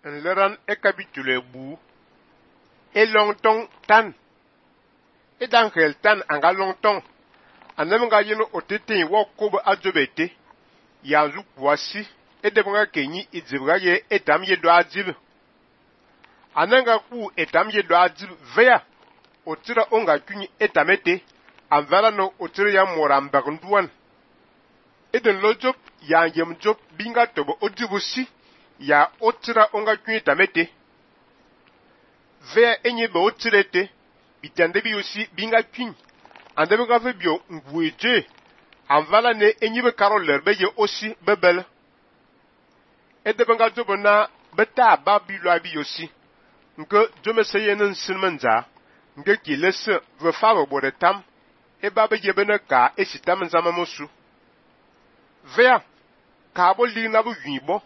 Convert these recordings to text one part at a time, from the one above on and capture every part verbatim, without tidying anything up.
Nleran e capitule bu e longtong tan e dan hel tan anga longtong anam nga yino otete wo kobo ajobete ya zu kwasi e debanga kenyi idzibga ye etam ye do ajib ananga ku etam ye do ajib veya otira onga kunyi etamete anvala no otira ya morambag nduan eden lojop ya yem job binga tobo odibusi ya otira onga kunyi tamete veya enye be otirete bitande bi osi binga kunyi ande be gafe bio ngweje anvala ne enye be karoler be ye osi bebel edebanga jobo na beta ba bilo abi osi nke jome seye nan sinmanza nke kilese ve fabo bode tam e baba yebene ka esitam nzama mosu vea ka bo li na bu yibo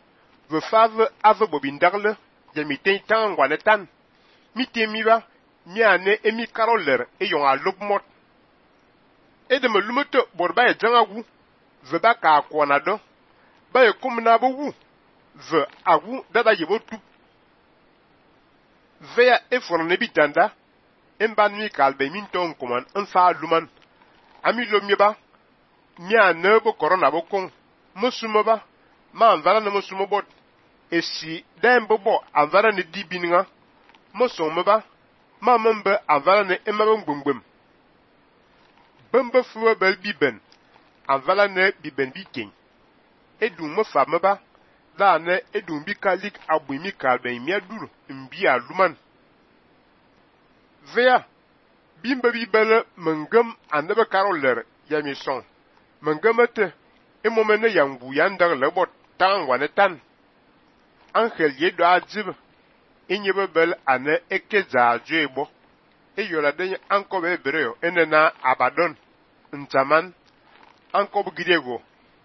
ve fave ave bobindagle ya miten tan ngwane tan mitemiba nyane emi karoler e yon a lobmot e de me lumoto borba e jangagu ve ba ka kwona do ba e kumna bo wu ve agu dada yebo tu vea e forne bitanda emban mi kalbe minton kuman enfa luman ami lomieba mia nebo corona bokon musumaba ma anvala no musumobot esi dembo bo anvala ne dibininga musumaba ma membe anvala ne emaba ngbungbum bembe fuwa bel biben anvala ne biben biken edum mo famaba da ne edum bi kalik abumi kalbe mi aduru mbi aluman vea bimba bibele mengem andebe karoler yami son mengemete emomene yangu yandar lebot tan wane tan angel yedo ajib inyebe bel ane ekeza ajebo eyola denye ankobe ebreo enena abadon ntaman ankobe griego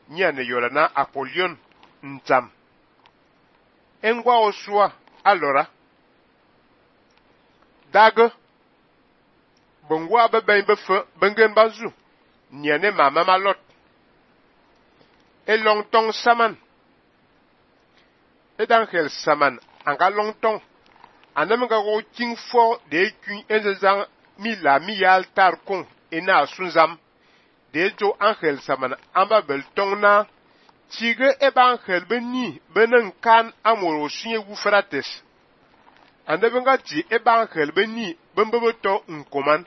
nyane yola na apolion ntam engwa osua alora dago bongwa be ben be fe bengen bazu nyane mama malot e longtong saman e dan hel saman anga longtong anam ga go king fo de kun ezang mi la mi yal tar kon ena sunzam de jo angel saman amba bel tong na tige e ban hel beni benen kan amoro sunye wu frates ande benga ti e ban hel beni bembe to nkoman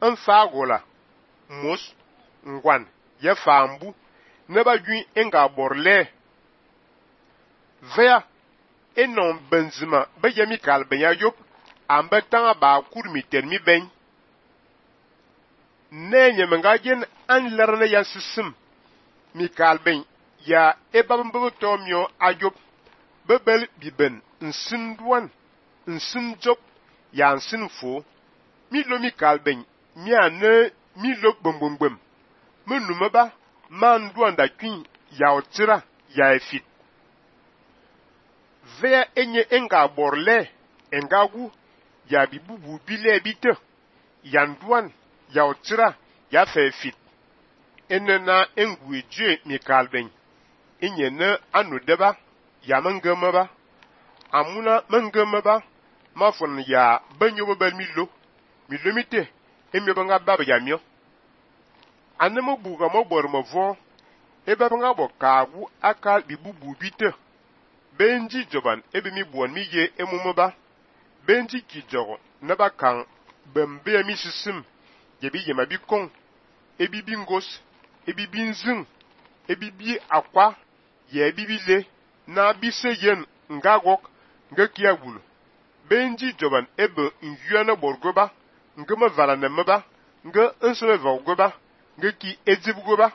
enfa gola mos ngwan ye fambu ne ba gwi enga borle vea enon benzima be yemi kalben ya yop ambe tanga ba kurmi termi ben ne nyemenga gen an lerne ya sisim mi kalben ya ebabembe tomyo ayop bebel biben nsin duan nsin job ya nsin fo mi lo mi kalben mi ane mi lo gbomgbom menumeba man duanda kwin ya otira ya efit vea enye enga borle engagu ya bibubu bile bite yanduan ya otira ya fefit enena engweje mi kalben enye ne anodeba ya mangamaba amuna mangamaba mafon ya banyo bel milo milo mite emi banga baba ya mio anemo buga mo bor mo vo e baba nga bo kagu aka bibubu bite benji joban ebe mi buon mi ye emumoba benji kijogo na ba kan bembe mi sisim ye bi ye mabi kon ebi bingos ebi binzin ebi bi akwa ye bi bile na bi seyen ngagok ngakia gulu benji joban ebe nyuana borgoba ngama vala na maba nga nsome vogoba ngaki ezibgoba